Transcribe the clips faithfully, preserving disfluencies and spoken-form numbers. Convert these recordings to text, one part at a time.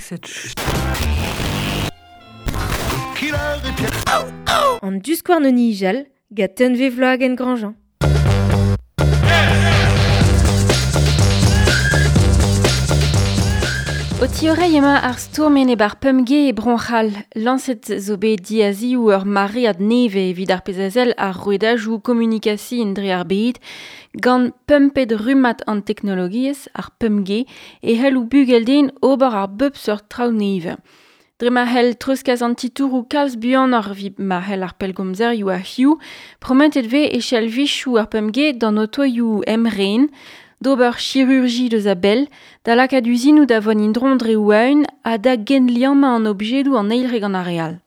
Cette An diskouarn o nijal, gant Tunvezh Wloagen-Grandjean. O tiorei ema ar stourmen e bar pemge e bronchal. Lañset zo bet diazioù ur maread neve evit ar pezh ar rouedajoù komunikasi dre ar bed, gant pumpet rummad an teknologiezh ar pemge e c'hell bugel den ober ar bep seurt traoù neve. Dre ma c'hell treuzkas an titouroù kalz buanoc'h evit ma c'hell ar pellgomzerioù a hiziv, prometet vez e chell vichoù ar pemge d'an otoioù emren, d'ober chirurji deus a-bell, da lakaat uzinoù da vont indron dre oaun ha da genliammañ an objedoù an eil re gant ar re all.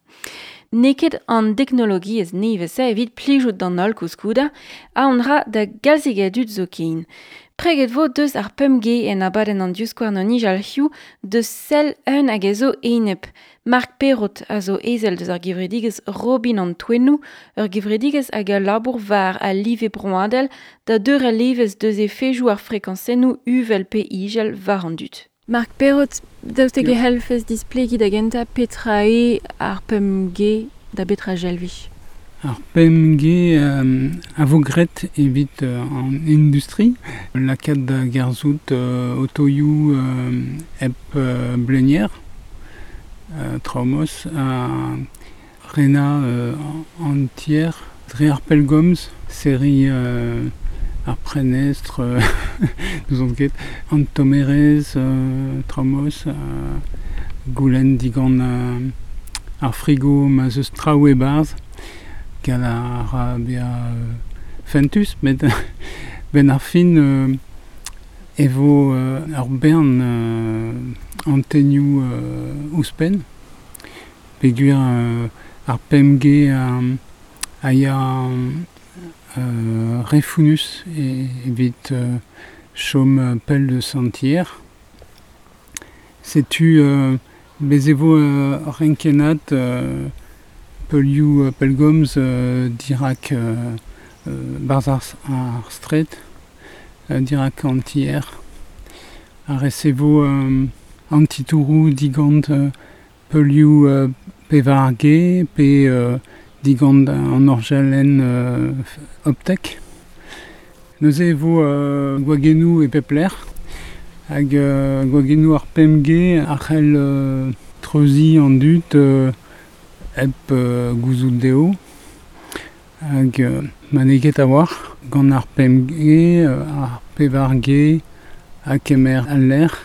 N'eo ket an teknologiezh nevez-se evit plijout d'an holl koulskoude, ha on ra da galzik a dud zoken. Preget vo deus ar pemp G en abadenn an diskouarn o nijal hiziv deus sell un hag a zo enep. Marc Perrot a zo ezel deus ar gevredigezh Robin an Toennoù, ur gevredigezh hag a labour war al live broadel da deurel evezh deus efedoù ar frekañsennoù uvel pe izel war an dud. Marc Perrot, daoust hag e c'hellfes displegiñ da gentañ petra eo ar pemp G da betra jelvich? Ar pemp G euh, a vo graet evit euh, an industri, lakaat da gerzout euh, otoioù euh, hep euh, blenier, euh, traumos, a rena euh, entier, dre ar pellgomz, seri euh, ar prenestr, euh, nous on ket, an tomerez, euh, traumos, euh, goulenn digant euh, ar frigo ma zeus traoù e-barzh, gant ar ra bezañ euh, fentus, met ben ar fin euh, e vo euh, ur bern euh, antenioù euh, ouzhpenn, peogwir euh, ar pemp G euh, a ya euh, re founnus e, evit euh, chom pell deus an tier. Setu euh, bez e vo euh, renkennad euh, peulioù euh, pellgomz euh, dirak euh, euh, barzh ar, ar straed, euh, dirak an tier. Ar resevo euh, an titouroù digant euh, peulioù euh, pevar G pe euh, digant an orjalenn euh, optek. Neuze e vo euh, gwagennoù e pep lec'h, hag euh, gwagennoù ar pemp G a c'hell euh, treuziñ an dud euh, hep euh, gouzout dezho, hag euh, ma n'eo ket a-walc'h gant ar pemp G, euh, ar pevar G ha kemer al lec'h,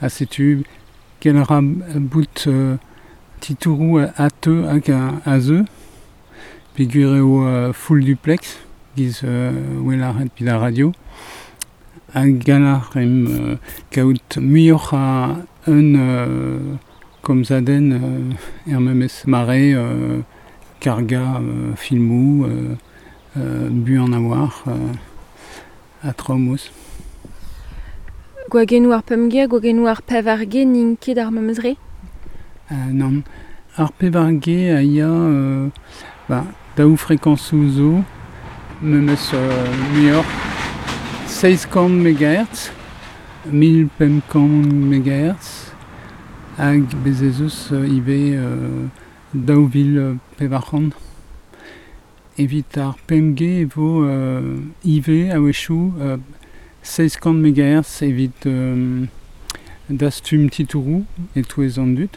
ha setu kel ra bout euh, titouroù a teu hag a zeu, peogwir eo euh, full duplex, giz euh, wel ar ret evit ar radio, hag gall ar em euh, kaout muioc'h a un euh, komzadenn euh, er memes mare euh, karga euh, filmoù euh, euh, buan a-walc'h euh, ha traoù. Gwagennoù ar pemp G, gwagennoù ar pevar G n'int ket ar memes re? Euh, nann. Ar pevar G a ya euh, ba, daou frekañsoù zo, memes euh, muioc'h, seizh kant megahertz, mil pemp kant megahertz, hag bez ez eus euh, ivez euh, daou vil pevar c'hant. Evit ar pemp G e vo euh, ivez a-wechoù euh, seizh kant megahertz evit euh, dastum titouroù e-touez an dud.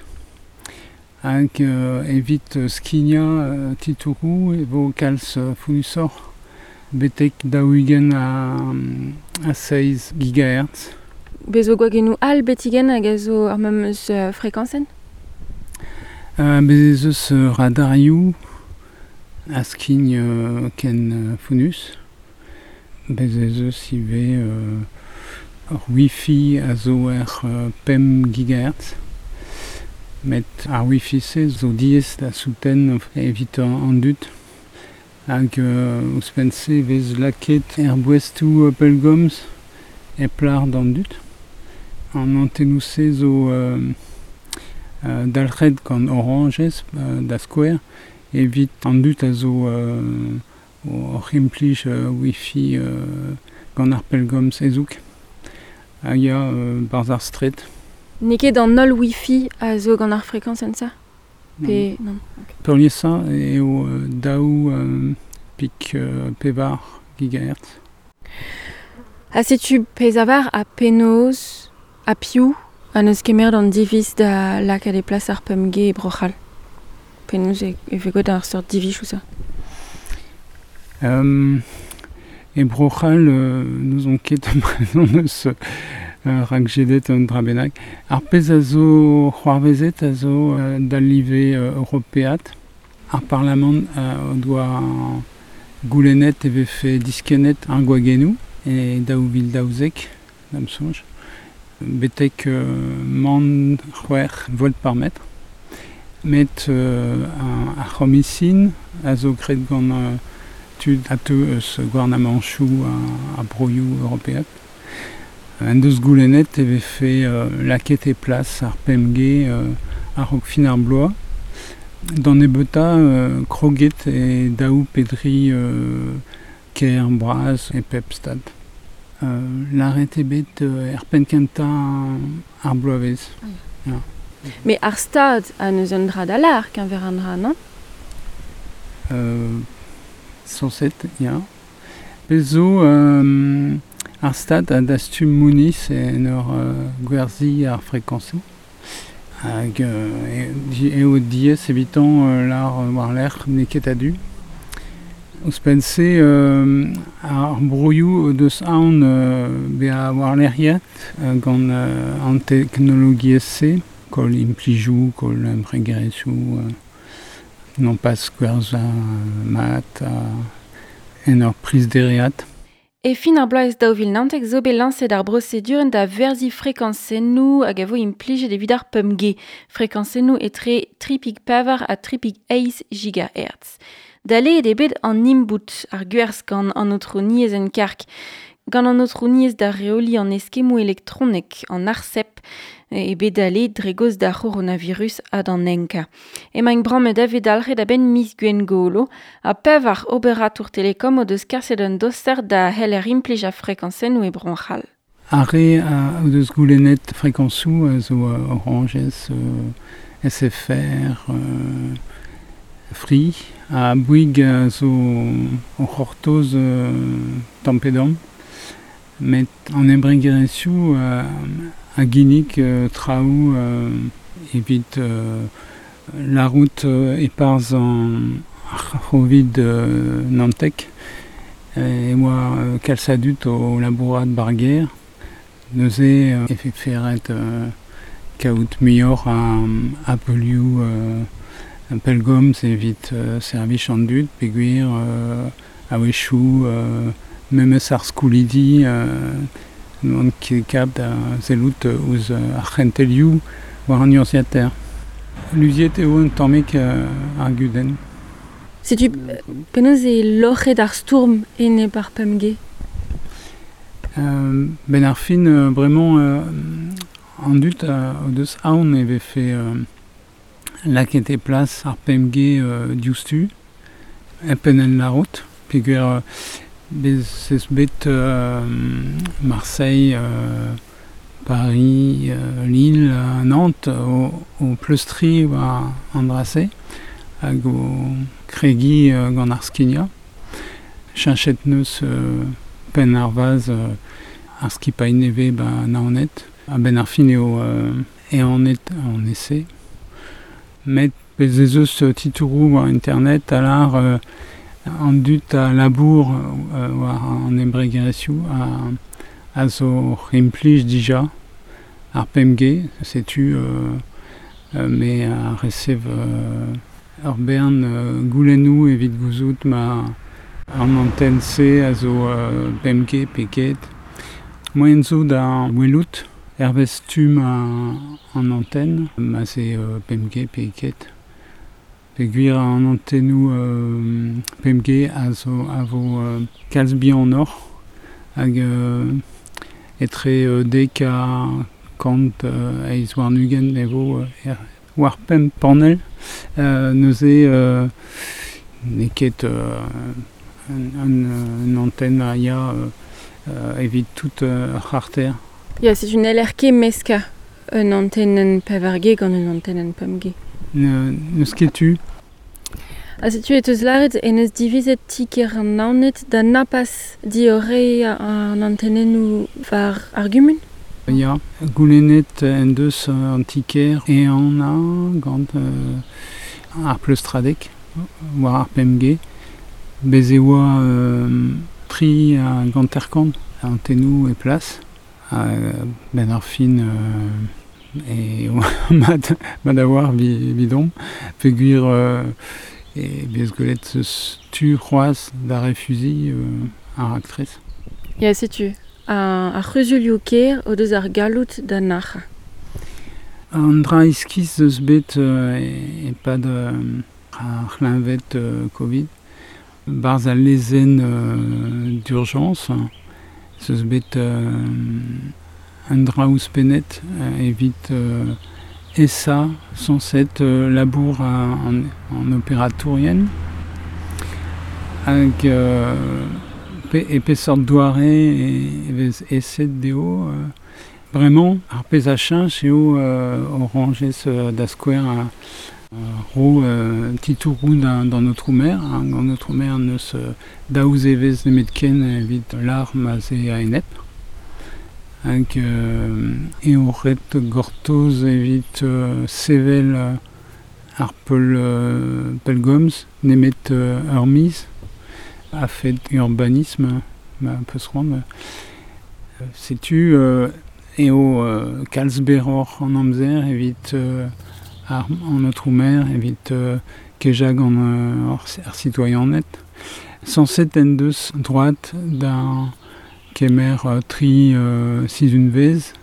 Hag euh, evit skignañ euh, titouroù e vo kalz euh, founnusoc'h betek daou-ugent a, a seizh gigahertz. Bez zo gwagennoù all betigen hag a zo ar memes euh, frekañsenn? Euh, bez ez eus euh, radarioù a skign euh, ken euh, founnus. Bez ez eus ivez euh, ur Wi-Fi a zo er euh, pemp gigahertz. Met ar Wi-Fi-se zo diaes da souten evit an dud. Hag euh, ouzhpenn-se vez lakaet er boestoù euh, pellgomz e plar d'an dud. An antennoù-se zo euh, euh, dalc'het gant Orange euh, da skouer evit an dud a zo euh, oc'h implij euh, Wi-Fi euh, gant ar pellgomz hezoug. Hag ya euh, barzh ar straed. N'eo ket an holl wifi a zo gant ar frekañsenn sa? Pe non. Okay. Peurliesañ eo daou euh, pik euh, pevar gigahertz. Ha setu pezh a var ha penaos ha piv ha n'eus kemer an diviz da lakaat e plas ar pemp G e Bro-C'hall. Penaos e, e vez gwelet ar seurt diviz ou ça? Euh, e Bro-C'hall, euh, n'ouzon ket brezhon eus euh, rak jedet un dra bennak. Ar pezh a zo c'hoarvezet a zo euh, d'al live euh, europeat. Ar parlamant euh, o doa goulennet e vefe diskennet ar gwagennoù e daou vil daouzek, da'm soñj. Betek euh, man c'hwec'h volt par mètre. Met euh, ar c'homisin a zo graet gant euh, tud a teu eus gouarnamanchoù a, a broioù europeat. En deus goulennet e vefe euh, laket e plas ar pemp G euh, a-raok fin ar bloaz. D'an nebeuta euh, kroget e daou pedri euh, ker bras e pep stad. Euh, Lâret eo bet euh, er penn kentañ ar bloavezh. Ah, ya. Mais ar stad a neus un dra da lar keñver an dra, non? Euh, sañset, ya. Pezh zo euh, ar stad a dastum mouniz en ur euh, gwerzhiñ ar frekañsoù. Hag euh, eo diaes evitañ euh, lar war-lerc'h n'eo ket a-du. Ouzhpenn-se euh, ar broioù o deus aon euh, bezañ war-lerc'hiet euh, gant euh, an teknologiezh-se, koll implijoù, koll embregerezhioù, euh, non pas gwerzhañ euh, mat euh, en ur priz dereat. E fin ar bloaz daou vil naontek zo bet lañset ar brosedurenn da verziñ frekañsennoù hag a vo implijet evit ar pemp G. Frekañsennoù etre tri pik pevar ha tri pik eizh gigahertz. Daleet eo bet an imbout ar gwerzh gant an aotrouniezh en karg. Gant an aotrouniezh da reoliñ an eskemmoù elektronek an ARCEP eo bet daleet dre gaoz d'ar c'horonavirus ha d'an enkañ. Emaint brammet a vez dalc'het a-benn miz Gwengolo ha pevar oberatour telekom o deus kaset un doser da c'heller implij ar frekañsennoù e Bro-C'hall. Ar re a o deus goulennet frekañsoù a zo Orange, euh, S F R, euh, Free, ha Bouygues a zo o c'hortoz euh, tamm-pe-damm. Met an embregerezhioù euh, a ginnig euh, traoù euh, evit euh, la route euh, e-parzh an ar c'hovid euh, Nantec e oa euh, kalz a dud o labourat barger. Neuze euh, e fe ferret euh, kaout muioc'h a, a peulioù euh, un pellgomz evit euh, servij an dud, peogwir euh, a-wechoù euh, memes ar skoulidi euh, n'oant ket kap da sellout ouzh ar c'hentelioù war an urzhiataer. Luziet eo un tammig euh, ar gudenn. Setu penaos eo loc'het ar stourm enep ar pemp G? Euh, ben ar fin, euh, bremañ euh, an dud a, o deus aon e vefe euh, laket e plas ar pemp G euh, diouzhtu, hep en en larout, peogwir euh, bez ez bet euh, Marseille, euh, Paris, euh, Lille, euh, Nantes, o, o pleustriñ war an dra-se, hag o kregiñ euh, gant ar skignañ. Cheñchet neus euh, penn ar vaz euh, ar skipailh nevez ba Naoned. A-benn ar fin eo euh, ehanet an ese. Met bez ez eus titouroù war internet a lar euh, an dud a labour euh, war an embregerezhioù a, a zo implij dija ar pemp G, setu euh, euh, me a resev euh, ur bern euh, goulennoù evit gouzout ma an antenne-se a zo euh, pemp G pe ket. Moaien zo da welout hervez stumm an antenne, ma se euh, pemp G pe ket. Peogwir an antennoù euh, pemp G a zo a vo euh, kalz bihanoc'h hag euh, etre euh, dek ha kant euh, eizh warn-ugent e vo euh, er, war pemp panell. Euh, neuze euh, n'eo ket euh, un, un, un antenne a ya euh, euh, evit tout euh, ar c'harter. Ya, c'est une L R K meska Un antenn pevar G gant un antenn pemp G. N'eus ket tu. Ha setu e teus lâret en eus divizet ti-kêr an Naoned da napas diorre an antennennoù war ar gumun? Ya, goulennet en deus an ti-kêr e an a gant euh, ar pleustradek war ar pemp G. Bez e oa euh, tri a ganterkant antennoù e plas. Ha ben ar fin euh, e oa mat, mat a war vi, vidon. Peogwir euh, e bez gwelet eus tu c'hoazh da refuzi euh, ar raktres. Ya, setu, ar, ar c'huzulioù kêr o deus ar galloud da nac'h. An dra iskis eus bet euh, e-pad euh, ar c'hleñved euh, Covid. Barzh al lezenn euh, d'urgence, eus bet euh, un dra ouzhpennet euh, evit euh, esa sañset euh, labour an, an opératourien hag euh, pe, e peseurt doare e, e vez eset dezho euh, bremañ ar pezh a cheñch eo euh, Oranges euh, da skouer a ro euh, titouroù d'an, d'an aotrou-maire, hein, gant aotrou-maire neus euh, daou zevezh nemetken evit lar ma ze a-enep. Hag euh, eo ret gortoz evit euh, sevel euh, ar peul, euh, pellgomz nemet euh, ur miz a-fet urbanisme ma peus c'hoant. Setu euh, eo euh, kalz berroc'h an amzer evit euh, ar an aotrou-maire evit euh, kejañ gant euh, ar, ar sitoaianed. Sañset en deus droad da kemer euh, tri euh, sizhunvezh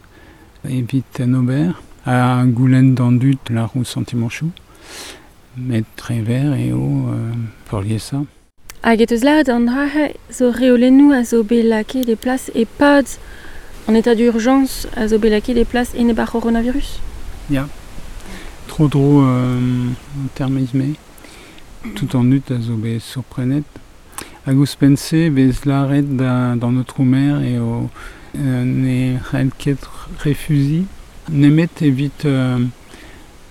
evit en ober ha goulenn d'an dud lâr o santimanchoù. Met tre ver eo euh, peurliesañ. Hag e teus lâret an dra zo reolennoù a zo bet lakaet e plas e-pad an état d'urgence a zo bet lakaet e plas enep ar c'horonavirus? Ya. Tro-dro euh, termizme. Tout an dud a zo bet surprenet. Hag ouzhpenn-se vez lâret da, d'an aotrou-maire eo euh, ne c'hell ket refuziñ nemet evit euh,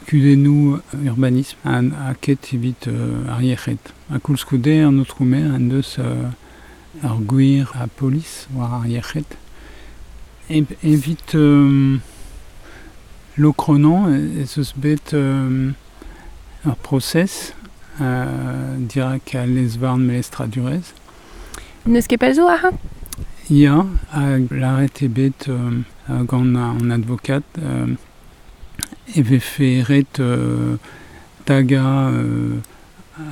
kudennoù urbanisme ha, ha ket evit euh, ar yec'hed. Ha koulskoude an aotrou-maire en deus euh, ar gwir a polis war ar yec'hed. E, evit euh, Lokronan ez eus bet euh, ur prosez euh, dirak al lez-varn melestradurezh. N'eus ket pell zo ac'han? Ya, hag lâret eo bet euh, gant an advokad euh, e vefe ret euh, tagañ euh,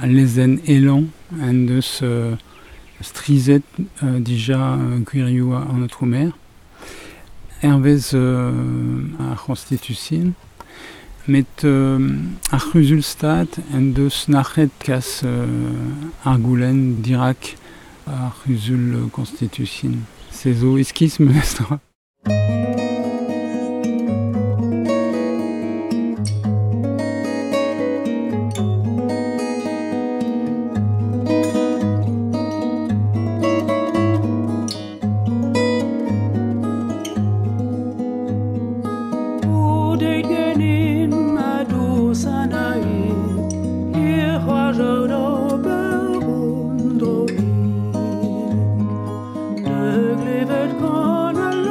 al lezenn Elan en deus euh, strizet euh, dija euh, gwirioù an aotrou-maire. Hervez euh, ar c'honstitution, met euh, ar c'huzul-stad en deus nac'het kas euh, ar goulenn dirak ar c'huzul constitution. Se zo iskis memestra. Glevet kan al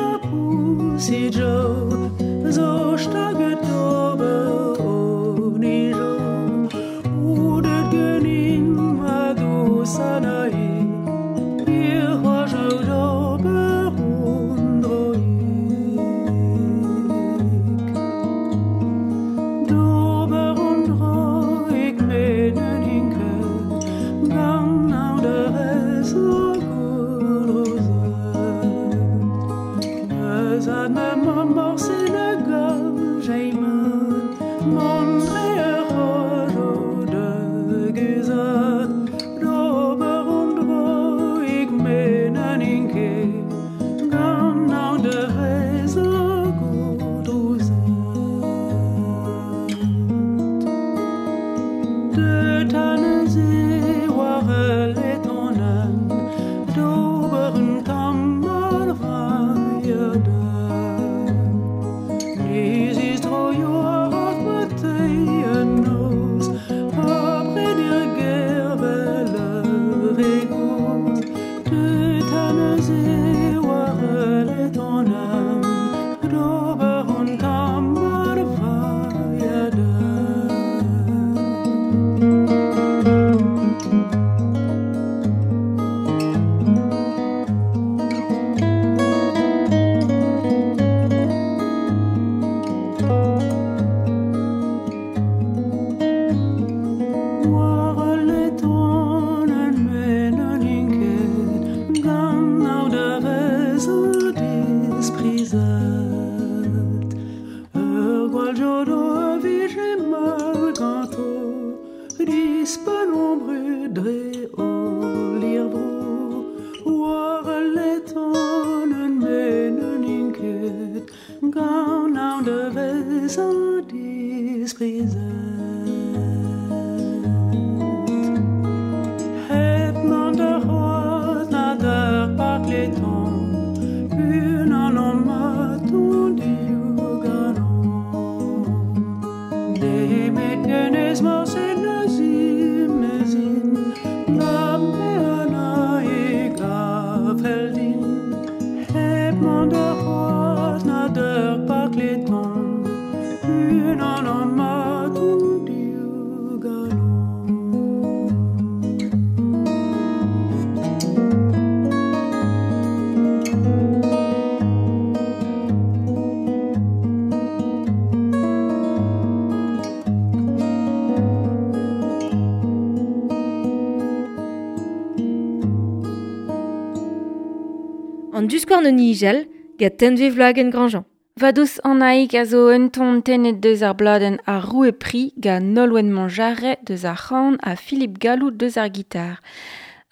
An duskouarn an nijal, gant tenve vloagen Grandjean. Vadous an aik a zo un ton tenet deus ar bladen ar roue pri gant Nolwenn Monjarret deus ar c'han ha Philippe Gallou deus ar gitar.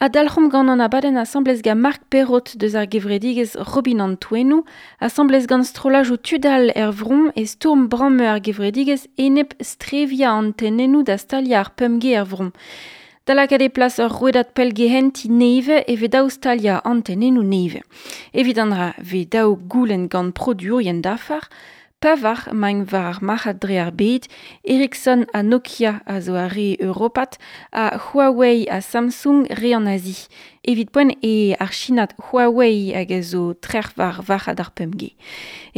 A dalc'homp gant an abadenn asamblez gant Marc Perrot deus ar gevredigez Robin an Touenou, asamblez gant strolaj o tudal er vron e stourm bramme ar gevredigez enep strevia an tenennou da stalia ar pemge er vron. Da lakaat e plas ur rouedad pelgehenti neve e ve daou stalia antenennoù neve. Evit an dra ve daou goulenn gant produerien dafar, pavar maint war ar marc'had dre ar bed, Ericsson ha Nokia a zo ar re Europat, ha Huawei ha Samsung re an Azi. Evit poent e ar Chinat Huawei hag a zo trec'h war varc'had ar pemp G.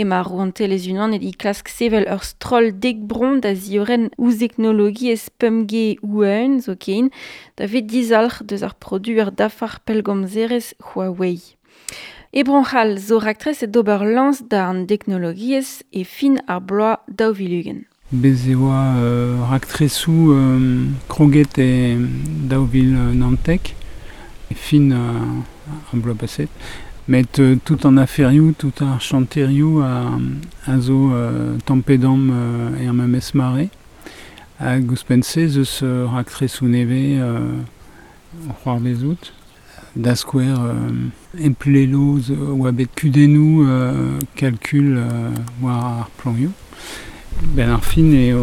Ema rouantelezh unanet e klask sevel ur stroll dek bron da zioren ouzh teknologiezh pemp G ouen zo ken, da vet dizalc'h deus ar produer dafar pellgomzerezh Huawei. E Bro-C'hall zo raktres e d'ober lañs da an teknologiezh e fin ar bloaz daou vil ugent. Bez e oa euh, raktresoù euh, kroget e daou vil naontek, e fin euh, ar bloaz paset. Met euh, tout an aferioù, tout ar chanterioù a, a zo euh, tampedam euh, e ar memes mare. Hag ouzhpenn-se zeus euh, raktresoù nevez euh, c'hoar bezout. Da skouer euh, emplelo oa bet kudennoù euh, kalkul euh, war ar planioù. Ben ar fin eo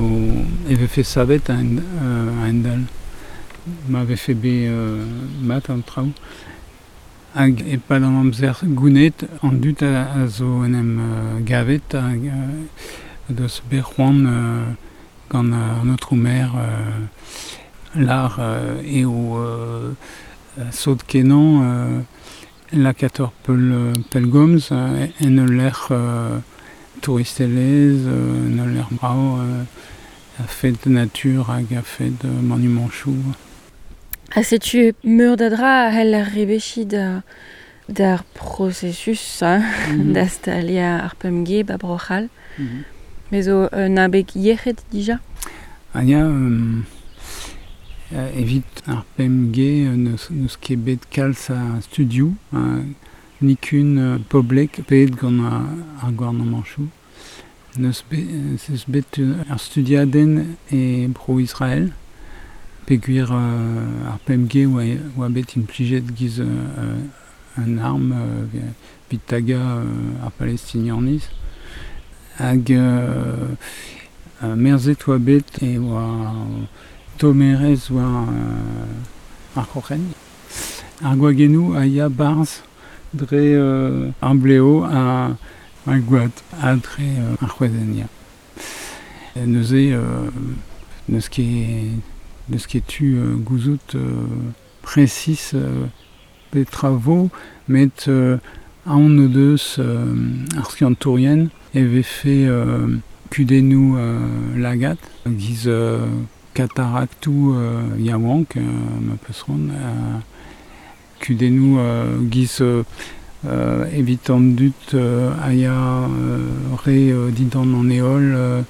e vefe savet a euh, a-hend-all. Ma vefe bet euh, mat an traoù. Hag e-pad an amzer gounet an dud a, a zo en em euh, gavet hag euh, deus bet c'hoant euh, gant euh, an aotrou maire euh, lar euh, eo euh, sot kenan euh, lakaat peul, pelgomz euh, en ul lec'h euh, touristelezh, euh, en ul lec'h brav euh, a fed natur hag a fed euh, monumentchoù. Ha setu meur da dra a c'hell ar rebechi da d'ar processus hein, mm -hmm. da stalia ar pemp G ba Bro-C'hall. Mm -hmm. Me zo un abeg yec'hed dija? Ah ya, euh, evit ar pemp G neus, neus ket bet kalz a studioù, uh, nikun uh, poblek pet gant ar, ar gouarnamanchoù. Neus bet, neus bet ar studiadenn e Bro-Israel, peogwir uh, ar pemp G oa, oa bet implijet giz uh, un arm uh, evit taga uh, ar Palestinianiz. Hag uh, uh, merzet oa bet e oa tomerez war euh, ar c'hoc'hen. Ar gwagennoù a ya barzh dre euh, ar bleo a, a gwad ha dre euh, ar c'hwezenn ya. Neuze euh, neus ket neus ket tu euh, gouzout euh, presis euh, petra vo, met euh, aon o deus euh, ar skiantourien e vefe euh, kudennoù euh, lagat, giz euh, kataraktoù euh, yaouank, euh, ma peus c'hoant, euh, kudennoù euh, giz euh, euh, evit an dud euh, a ya euh, re euh, dindan an heol euh,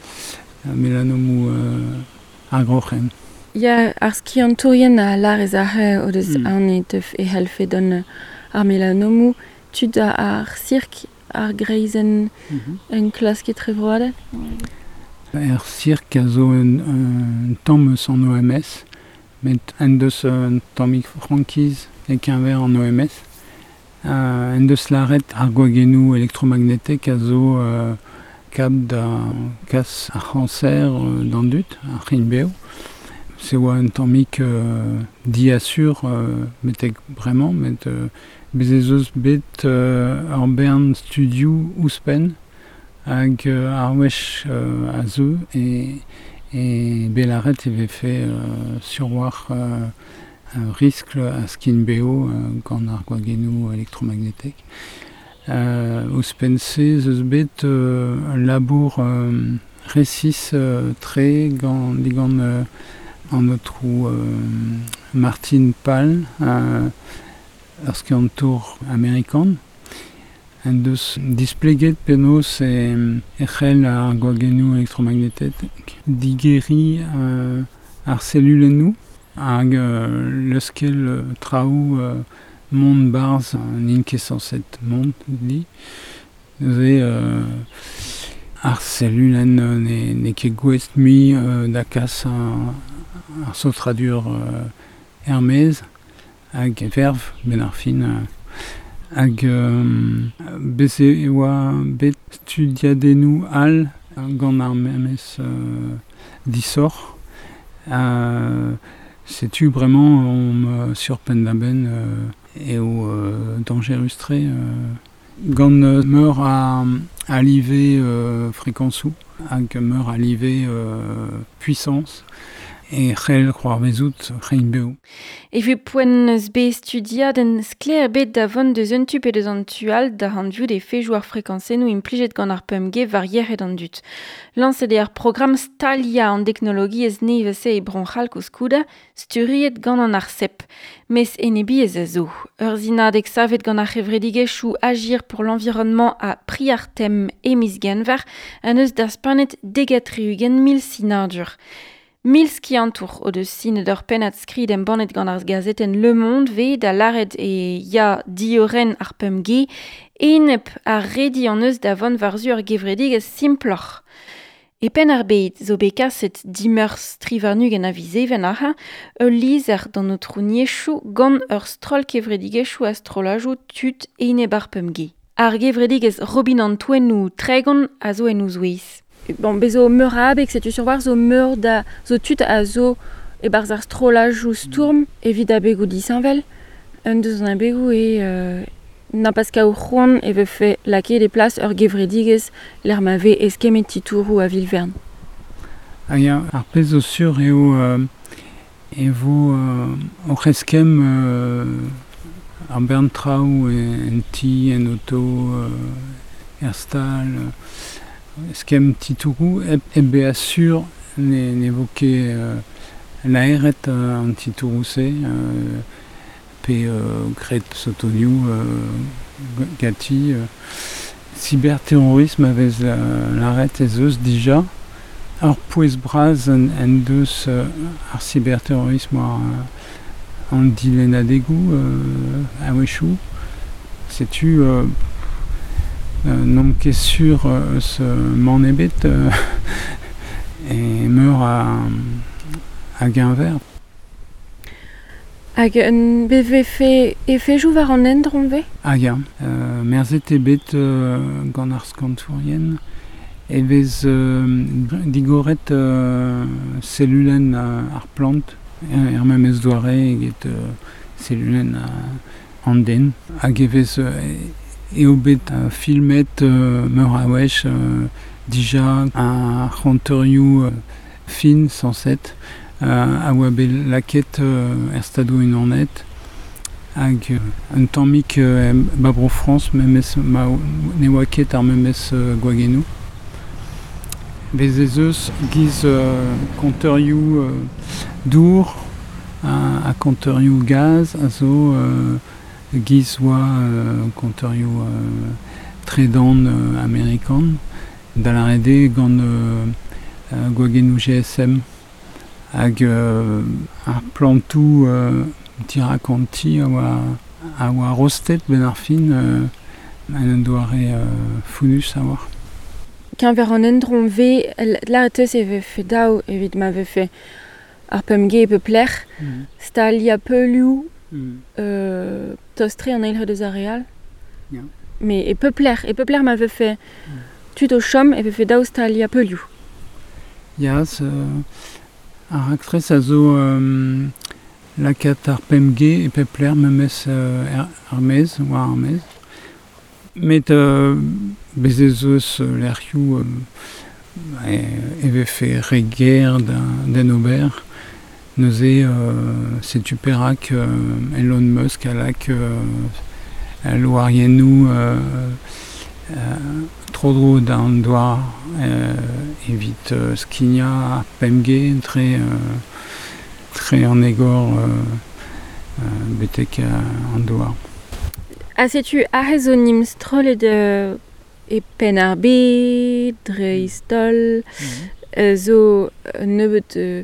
melanomou euh, ar groc'hen. Ya, ar skiantourien a lar ez ar o deus Mm. an e teuf e helfe don ar melanomou, tud a ar sirk ar greizenn Mm -hmm. un klask etrevroadel. Er sirk a zo un, un tamm eus an O M S, met en deus un tammig frankiz e keñver an O M S. Euh, en deus laret ar gwagennoù elektromagnetek a zo euh, kap da kas ar c'hanser euh, d'an dud, ar c'hin beo. Se oa un tammig euh, diasur euh, metek bremañ, met euh, bez ez eus bet euh, ur bern studioù ouzhpenn hag euh, ar wech euh, a zeu e, e belaret e vefe euh, surwar euh, un riskl a skin beo euh, gant ar gwagennoù elektromagnetek. Euh, ouzhpenn se ez eus bet euh, un labour euh, resis euh, tre gant, digant euh, an aotrou euh, Martin Pall, euh, ur skiantour amerikan. En deus displeget penaos e, e c'hell ar gwagennoù elektromagnetek digeriñ euh, ar selulennoù hag euh, leuskel euh, traoù euh, mont barzh n'int ket sañset mont di. Neuze euh, ar selulenn euh, ne, ne ket gouest mui euh, da kas ar, ar saotradur euh, er-maez hag verv ben ar fin euh, hag euh, bez e oa bet studiadennoù all gant ar memes euh, disoc'h. Euh, setu bremañ omp euh, sur penn-da-benn euh, eo euh, dañjerus-tre euh, gant euh, meur a, a live euh, frekañsoù hag meur a live euh, puissance e c'hell c'hoarvezout c'hein beo. E vu poent eus bet studiadenn sklaer bet da vont deus un tu pe deus an tu all da hanviout e fejoù ar frekañsennoù implijet gant ar pemp G war yec'hed an dud. Lañset eo ar programm Stalia an teknologiezh nevez-se e Bro-C'hall koulskoude, sturiet gant an ARCEP. Mes enebiezh a zo. Ur zinadeg savet gant ar c'hevredigezhioù Agir pour l'environnement a Priartem e miz Genver an eus daspanet degat tri-ugent mil sinadur. Mil skiantour o deus sinet ur pennad skrid embannet gant ar gazetenn Le Monde ve da lâret e ya diorren ar pemp G enep ar redi an eus da vont war-zu ur gevredigezh simploc'h. E penn ar bed zo bet kaset dimeurzh tri warn-ugent a viz Even ac'h ul lizher d'an aotrouniezhoù gant ur stroll kevredigezhioù a strollajoù tud enep ar pemp G. Ar gevredigezh Robin an Toennoù Tregont a zo en o zouez. Bon, bez zo meur a abeg, setu sur war zo meur da zo tud a zo e-barzh ar strollajoù stourm evit abegoù disheñvel. Un deus an abegoù eo euh, na pas kaout c'hoant e vefe lakaet e plas ur gevredigezh lec'h ma vez eskemmet titouroù a vil-vern. Ah ya, ar pezh zo sur eo euh, e vo euh, oc'h eskemm euh, ar bern traoù en ti, en oto, euh, er stal, euh, eskemm titouroù hep, hep bezañ sur ne, ne vo ket euh, laeret euh, an titouroù-se, euh, pe euh, graet sotonioù euh, ganti. Euh, cyberterrorisme a vez la, laret ez eus dija. Ar pouez bras en, en deus euh, ar cyberterrorisme war euh, an dilennadegoù euh, a-wechoù. Setu euh, euh, n'omp ket sur euh, eus euh, mann ebet euh, e meur a, a geñver. Hag un B V F efejoù war an endron ve? Ah ya, euh, merzet eo bet euh, gant ar skantourien e vez euh, digoret euh, selulenn euh, ar plant, er, er memes doare eget euh, selulenn euh, an den. Hag e vez euh, eo bet euh, filmet euh, meur a wech euh, dija ar c'honteurioù euh, fin sañset, euh, a oa bet lakaet euh, er stadoù unanet Hag euh, un tammik euh, ba bro Frañs memes ma ne oa ket ar memes euh, gwagennoù. Bez ez eus giz euh, konteurioù euh, dour a, a konteurioù gaz a zo euh, giz oa euh, konteurioù euh, tredan euh, amerikan da la rede gant euh, euh, gwagennoù G S M hag euh, ar plantoù euh, tirakanti a oa, a oa rostet ben ar fin euh, an en doare euh, founus a oa. Keñver an endron ve, la teus e vefe daou evit ma vefe ar pemge e pepler, mm. Stalia peulioù mm. euh, tostre an eil deus ar real. Yeah. Mais e pepler, e pepler ma vefe mm. tud o chom e vefe daou stalia peulioù. Ya, euh, ar aktres a zo euh, lakat ar pemge e pepler memes euh, ar mez, war ar mez. Met euh, bez ez eus lec'hioù euh, e, e vefe re ger d'en ober. Neuze euh, setu perak euh, Elon Musk a lak euh, loariennoù euh, euh, tro-dro d'an doar euh, evit euh, skignañ ar pemge tre, euh, tre an egor euh, euh, betek euh, an doar. A setu aze zo nim strollet euh, e penn ar bed, dreist-holl, mm-hmm. euh, zo nebeut euh,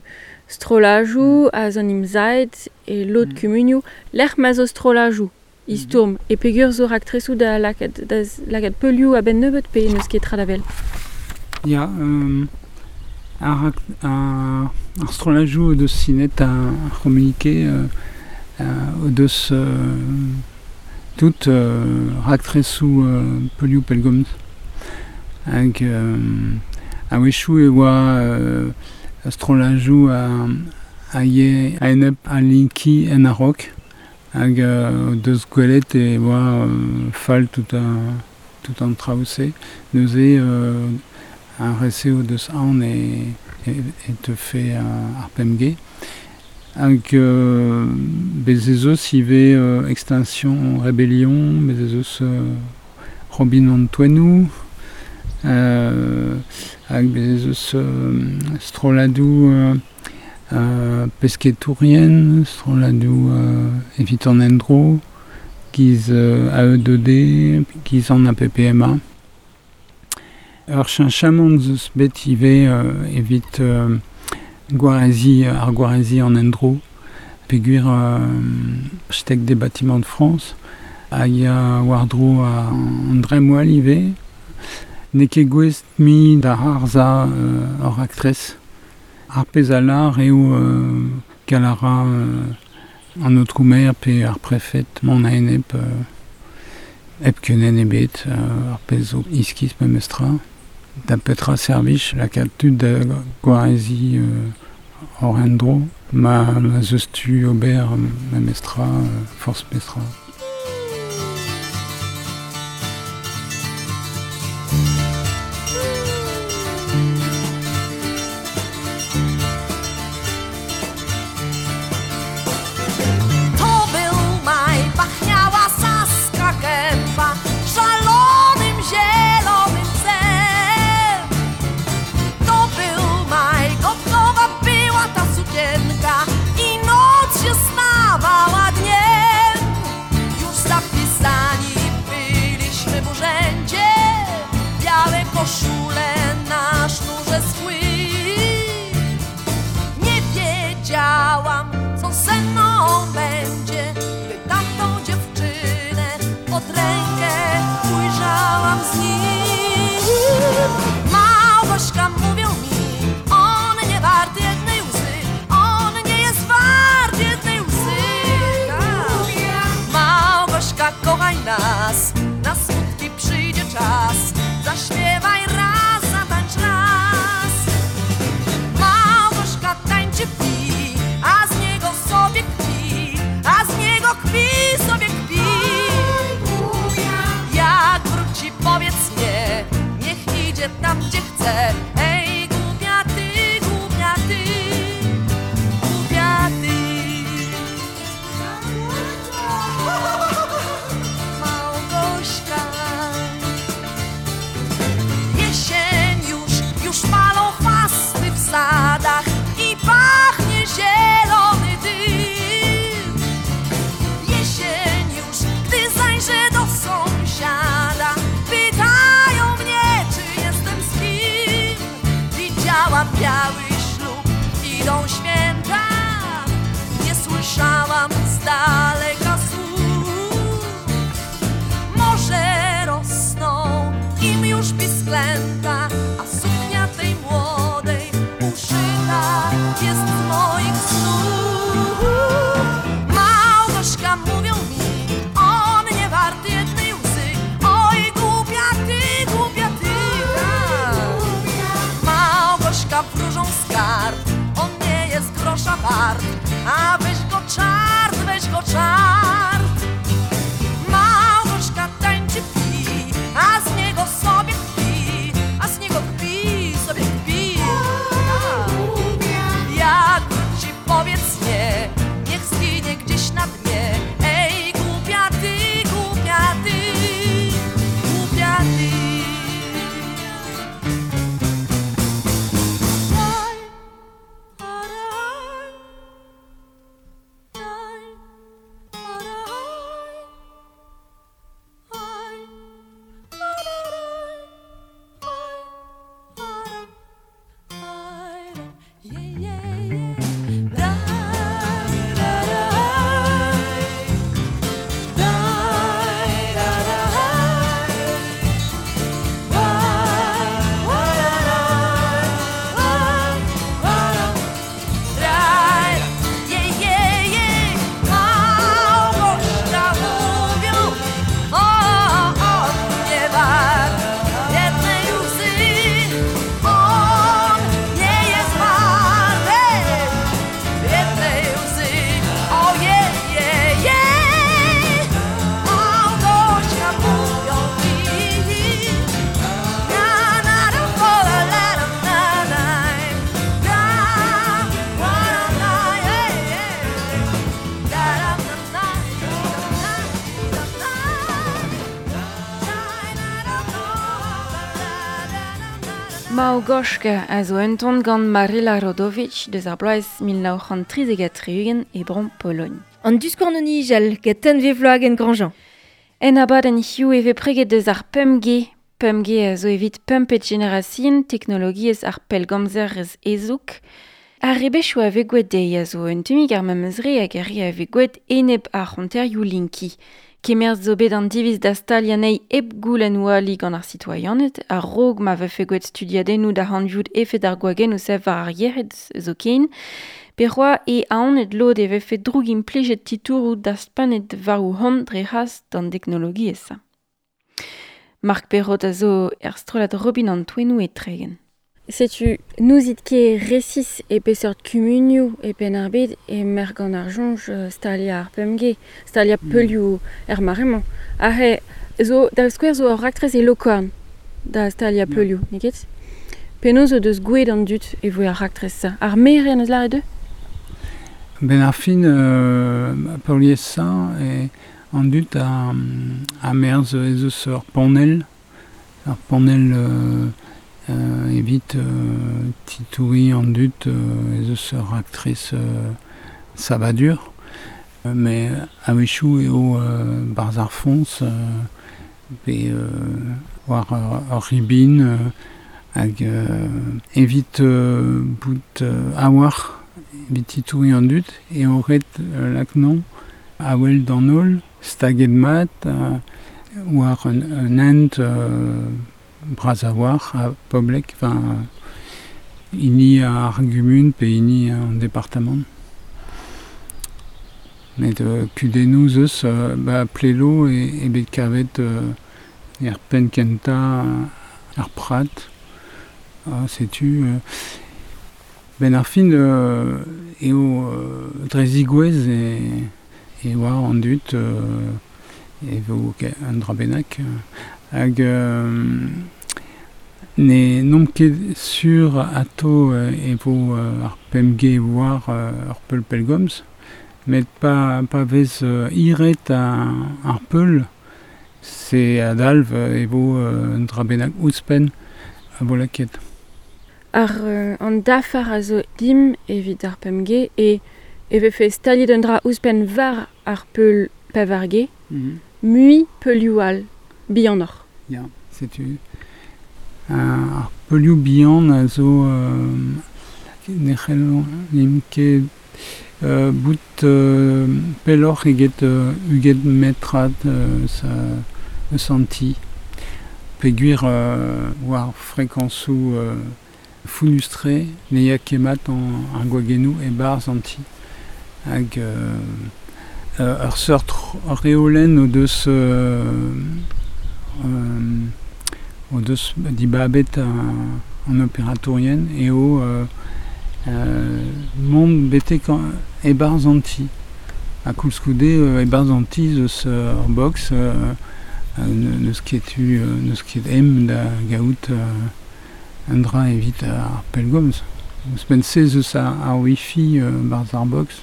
strollajoù, mm. a zo nim zaet e lod mm. kumunioù, lec'h ma zo strollajoù, istourm, mm. e pegur zo raktresoù da lakaat, da lakaat peulioù a-benn nebeut pe n'eus ket tra da vel. Ya, euh, ar, ar, ar strollajoù deus sinet a, a c'homunike euh, euh, deus euh, tout euh, raktresoù euh, peulioù pellgomz. Hag euh, a-wechoù e oa euh, strollajoù a, a ye a enep a linki en a-raok hag euh, deus gwelet e oa euh, fall tout a, tout an traoù-se. Neuze euh, ar rese o deus aon e, e, e teufe ar pemge. Hag euh, bez ez eus ivez euh, Extinction Rébellion, bez ez eus euh, Robin an Toennoù, euh, hag bez ez eus euh, strolladoù euh, euh, pesketourien, strolladoù euh, evit an endro, giz euh, A E deux D, giz an A P P M A. Ur cheñchamant zeus bet ivez euh, evit euh, gwarezi, ar gwarezi an endro, peogwir euh, architecte des bâtiments de France, a ya war-dro a an dremmwel ivez, n'eo ket gouest mi da harza euh, ur aktrez. Ar pezh a lar eo euh, kalara euh, an aotrou-maire pe ar prefet mont a enep euh, hep kenen ebet, euh, ar pezh zo iskis memestra. Da petra servij lakaat tud da gwarezi euh, hor endro, ma, ma zeus tu ober memestra, euh, forzh mestra. I noc się stawała dniem. biały ślub, idą święta. Nie słyszałam z daleka słów. Może rosną im już pisklęta, a suknia tej młodej uszyta jest z moich snów. Małgośka, mówią mi, on nie wart jednej łzy. Oj, głupia ty, głupia ty, tak. Małgośka wróżą z kart, on nie jest grosza wart, a weź go czart, weź go czart. Małgośka tańczy pi, a z niego sobie kpi, a z niego kpi, sobie kpi. Jak wróci, powiedz nie, niech zginie gdzieś na dnie. Ej, głupia ty, głupia ty, głupia ty. Małgośka, mówią, o, on nie wart jednej łzy, on nie jest wart jednej łzy, ojej, jej, jej. Małgośka, mówią mi, na, na, na, o, la, la, la, na, na, na, na, jej, jej. Da, da, na, na, na, na, Małgośka a zo un ton gant Maryla Rodowicz deus ar bloaz mil nav c'hant trizek ha tri-ugent e bro Pologne. An diskornoni jal get tenve vloag en Grandjean. En abadenn hiziv e vez preget deus ar pemp G. pemp G a zo evit pempet generasion teknologiezh ar pellgomzer ez ezouk. Ar rebechoù a vez gwelet dezhi a zo un tammig ar memes re hag ar re a vez gwelet enep ar c'honterioù linki. Kemerz zo bet an diviz da staliañ anezhi hep goulenn oali gant ar sitoaianed, ar rog ma vefe gwelet studiadennoù da hanviout efed ar gwagennoù sev war ar yec'hed zo ken, pe c'hoa e aonet lod e vefe droug implijet titouroù da spanet war o hont dre c'hras d'an teknologiezh. Marc Perrot a zo er strollad Robin an Toennoù e Tregen. Setu nouzit ket resis e peseurt kumunioù e penn ar bed e merk gant ar soñj stalia ar pemp G, stalia Mm. peulioù er mare-mañ. Aze, zo, da skouer zo ur raktres e Lokorn da stalia Ya. peulioù, n'eo ket? Penaos o deus gouet an dud e voe ar raktres-se? Ar maer en eus lâret dezhe? Ben ar fin, euh, peurliesañ e an dud a, a merzh ez eus ur panell, ur panell euh, euh, evit euh, titouriñ an dud euh, ez eus ur raktres euh, savadur. Euh, mais a-wechoù eo euh, barzh ar foñs euh, pe euh, war ur, ur ribin euh, hag euh, evit euh, bout euh, a-walc'h evit titouriñ an dud eo ret euh, laknañ a-wel d'an holl, staget mat, euh, war un, un hent euh, bras a-walc'h ha poblek, enfin, hini ar gumun pe hini an departamant. Met euh, kudennoù 'z eus, euh, ba Plelo e, e bet kavet euh, er penn kentañ ar prat. Ah, setu euh, ben ar fin euh, eo euh, dre zigouez e, e oa an dud euh, e vo un dra bennak. Hag euh, ne n'omp ket sur ato euh, e vo euh, ar pemp G war euh, ur peul pellgomz, met pa, pa vez euh, iret a, ar peul, se adalv e vo euh, un dra bennak ouzhpenn a vo lakaet. Ar euh, an dafar a zo dim evit ar pemp G e e vefe staliet un dra ouzhpenn war ar peul pevar G, Mm-hmm. mui peulioù all, bihanoc'h. Ya, setu. Ar peulioù bihan a zo euh, ne c'hellomp ket euh, bout euh, pelloc'h eget euh, uget metrad euh, sa eus an ti. Peogwir euh, war frekañsoù euh, founnustre ne ya ket mat an ar gwagennoù e-barzh an ti. Hag euh, euh, ur seurt reolenn o deus euh, euh, o deus dibabet an, an operatourien eo euh, euh, mont betek e-barzh an ti. Ha koulskoude euh, e-barzh an ti eus ur box euh, n'eus ket tu n'eus ket em da gaout euh, un dra evit ar pellgomz. Ouzhpenn se eus ar, ar wifi euh, barzh ar box.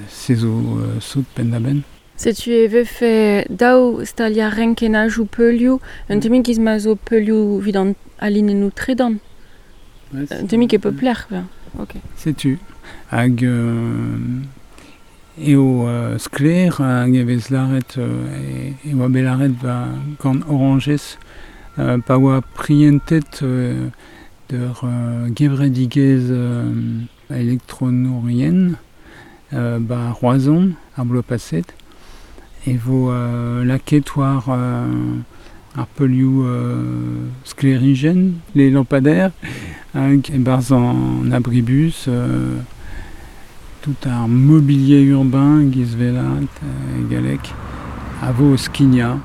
Se zo euh, sot penn-da-benn. Setu e vefe daou staliañ renkennajoù peulioù, un tammig giz ma zo peulioù evit an alinennoù tredan. Un tammig e pep lec'h, ben. Ok. Setu. Hag euh, eo euh, sklaer hag e vez lâret euh, e, e oa bet lâret ba gant Orangez euh, pa oa prientet euh, d'ur euh, gevredigezh euh, elektronourien euh, ba Roazhon ar bloaz paset e vo euh, lakaet war euh, ar peulioù euh, sklêrijenn, les lampadaires, hag e-barzh an abribus, euh, tout ar mobilier urbain giz velat e galleg a vo o skignañ.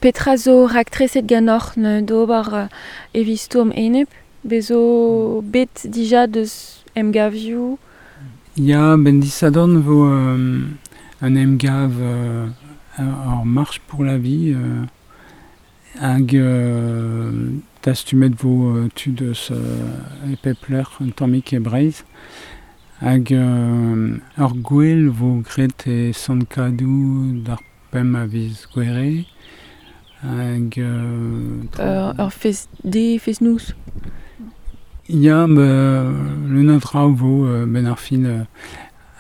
Petra zo raktreset ganeoc'h d'ober euh, evit stourm enep? Bez zo bet dija deus emgavioù? Ya, ben disadorn vo euh, un emgav euh, ur marche pour la vie euh, hag euh, dastumet vo euh, tud eus euh, e pep lec'h un tammig e Breizh. Hag euh, ur gwel vo graet e Sant-Kadou d'ar pemp a viz Gouere. Hag euh, Ur, ur fest de fest noz. Ya, ba, leun a draoù vo euh, ben ar fin euh,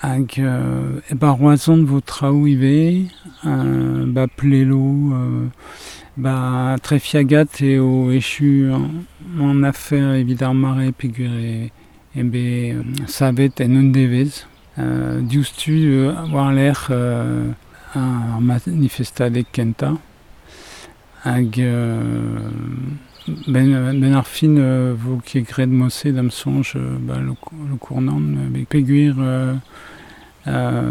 hag euh, e ba Roazhon vo traoù ivez, euh, ba Plelo, euh, ba Trefiagat eo echu an, an afer evit ar mare peogwir e, e bet savet en un devezh. Euh, diouzhtu euh, war-lerc'h euh, ar manifestadeg kentañ. Hag euh, ben, ben ar fin euh, vo ket graet mod-se da'm soñj euh, ba lo, Lokournan euh, peogwir euh, euh,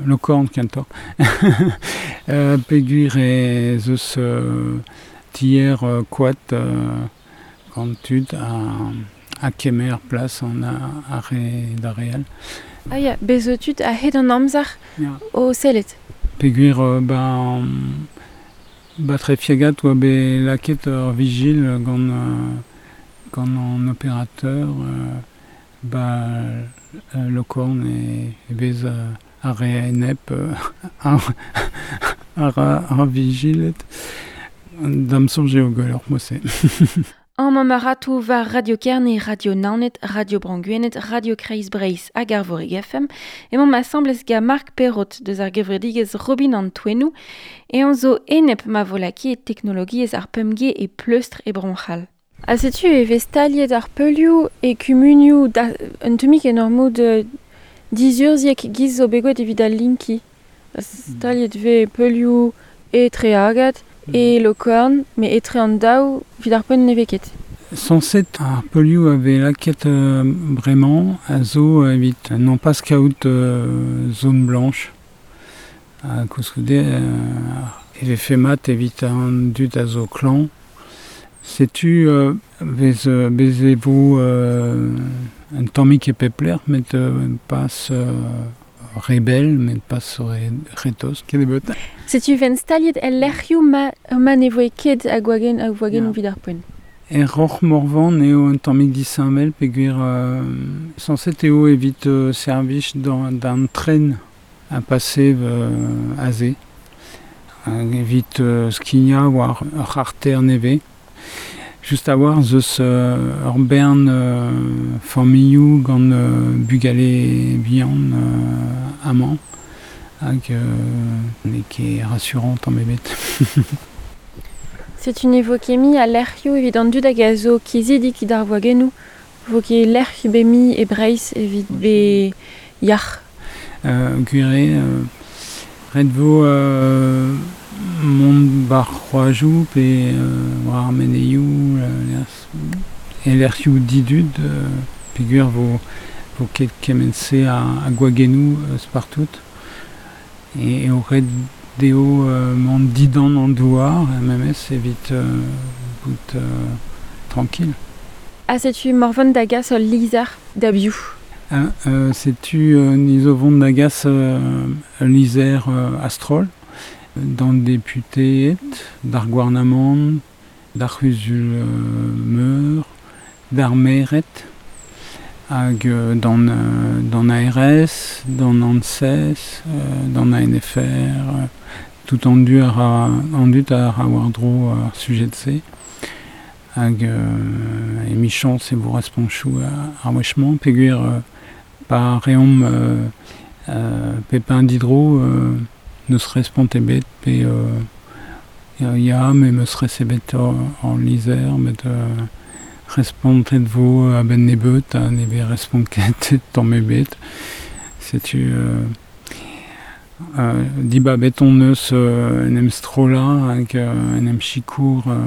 Lokorn kentoc'h. euh, peogwir ez eus euh, tier euh, koad euh, gant tud a, a kemer plas an a, ar re d'ar re all. Ah ya, bez zo tud a-hed an amzer Ya. o sellet. Peogwir euh, ba, ba Trefiagat oa bet lakaet ur vigil gant, euh, gant an opérateur euh, ba euh, Lokorn e, e vez euh, ar re enep euh, ar, ar, ar vigilet. Da'm soñj eo gwelloc'h mod-se. An mamaratoù war Radio Kerne, Radio Naoned, Radio Bro Gwened, Radio Kreiz Breizh hag ar Vorig F M. Emañ ma asambles ga Marc Perrot deus ar gevredigezh Robin an Toennoù e an zo enep ma vo lakaet teknologiezh ar pemp G e pleustr e Bro-C'hall. Ha setu e vez staliet ar peulioù e kumunioù da, un tammig en ur mod dizurzhiek giz zo bet gwelet evit al linki. Staliet vez peulioù e Treagad, e Lokorn, met etre an daou evit ar poent ne vez ket. Sañset ar peulioù a vez lakaet euh, bremañ a zo evit non pas kaout euh, zone blanche. Ha koulskoude euh, e vefe mat evit an dud a zo klañv. Setu euh, vez, euh, bez e vo euh, un tammig e pep lec'h, met euh, pas euh, rebel, met pas re, retoz, ket ebet. Setu ven staliet el lec'hioù ma, ma ne voe ket a gwagenn a gwagenn Ya. evit ar poent. Er Roc'h Morvan eo un tammig disheñvel peogwir euh, sañset eo evit euh, servij d'an, d'an tren a pase euh, aze. Hag evit euh, skignañ war ur c'harter nevez. Just a-walc'h zeus euh, ur bern euh, familhoù gant euh, bugale bihan euh, amañ hag euh, n'eo ket rassurant tamm ebet. Setu ne vo ket mui a lec'hioù evit an dud hag a zo kizidik d'ar gwagennoù. Vo ket lec'h be mi e Breizh evit be yac'h. Euh, gwire, euh, ret vo euh, mont bar c'hoajoù pe euh, war ar meneioù euh, e lec'hioù didud euh, peogwir vo, vo ket kement-se a, a gwagennoù euh, spartout. E, e o ret deo euh, mont didan an douar, memes evit euh, bout euh, tranquille. Ha setu Morvan da gas ul lizher da biv. Ah, euh, setu euh, ni zo vont da gas euh, ul lizher euh, astrol, d'an deputeed, d'ar gouarnamant, d'ar c'huzul euh, meur, d'ar maered, hag euh, d'an, euh, d'an A R S, d'an ANSES, euh, d'an A N F R, euh, tout an du ar, an dut ar a war-dro ar sujet se. Hag euh, emichañs e vo responchoù ar wechmañ, peogwir euh, pa reomp euh, euh, Pepin Diderot euh, neus respont ebet pe euh, ya me meus resebet en lizher met euh, respontet vo a-benn nebeut ha ne vez respont ket tamm ebet. Setu euh, euh, dibabet on eus euh, en em strollañ hag euh, en em sikour euh,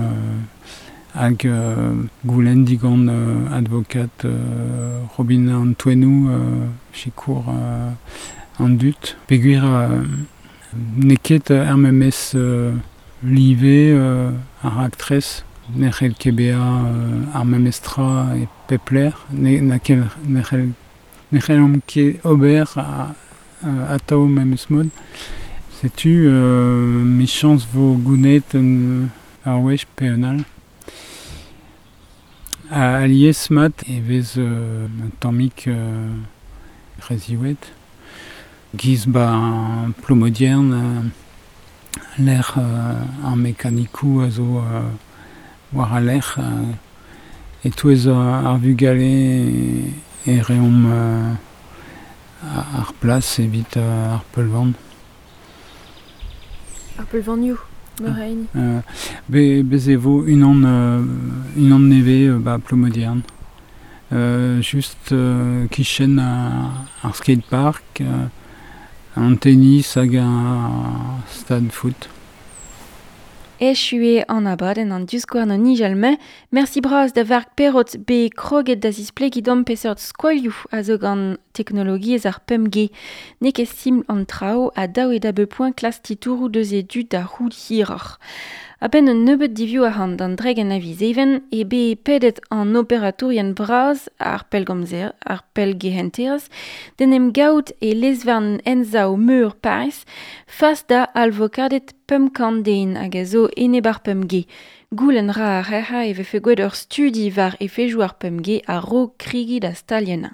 hag euh, goulenn digant euh, advokat euh, Robin Antoinou euh, sikour euh, an dut. Peogwir euh, n'eo ket ar memes euh, live euh, ar raktres, ne c'hell ket bezañ euh, ar memes tra e pep lec'h, ne, na ket, ne c'hell, ne c'hellomp ket ober a, a, atao memes mod. Setu euh, michañs vo gounet un, ar wech pe un all. A alies mat e vez euh, un tammig euh, reziwet. Giz ba plomodiern euh, lec'h euh, ar mekanikou a zo euh, war a lec'h euh, e-touez ar vugale e, e reomp euh, ar plas evit euh, ar peulvan. Ar peulvanioù, Moraine. Euh, be, bez e vo unan, euh, unan nevez euh, ba plomodiern. Euh, just euh, kichen ar, ar skatepark, euh, an tennis hag ar stad foot. Echu eo an abadenn an diskouarn an nijal-mañ. Merci bras da Varg Perrot be kroget da zisplegiñ d'am peseurt skoilhoù a zo gant teknologiezh ar pemp G. N'eo ket simpl an traoù ha daou eo da bep poent klas titouroù deus e dud da c'hoût hiroc'h. A-benn un nebeud divioù arc'hant d'an dreg an aviz even e be pedet an operatourien bras ar pellgomzer, ar pellgehenterezh, d'en em gaout e lezvarn ensav meur Paris, fas da alvokadet pemp kant den hag a zo enep ar pemp G. Goulenn ra ar rec'ha e vefe gwelet ur studi war efejoù ar pemp G a-raok krigi da staliennañ.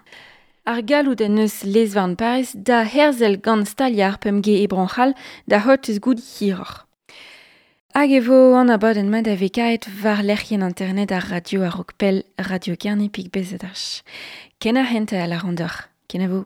Ar galloud en eus lezvarn Paris da herzel gant staliañ ar pemp G e Bro-C'hall da c'hortoz goût hiroc'h. Hag e vo an abadenn mat a vekaet war lec'hienn internet ar radio a-raok pell Radio Kerne pik bezedach. Ken ar hent a la randoc'h. Ken a vo.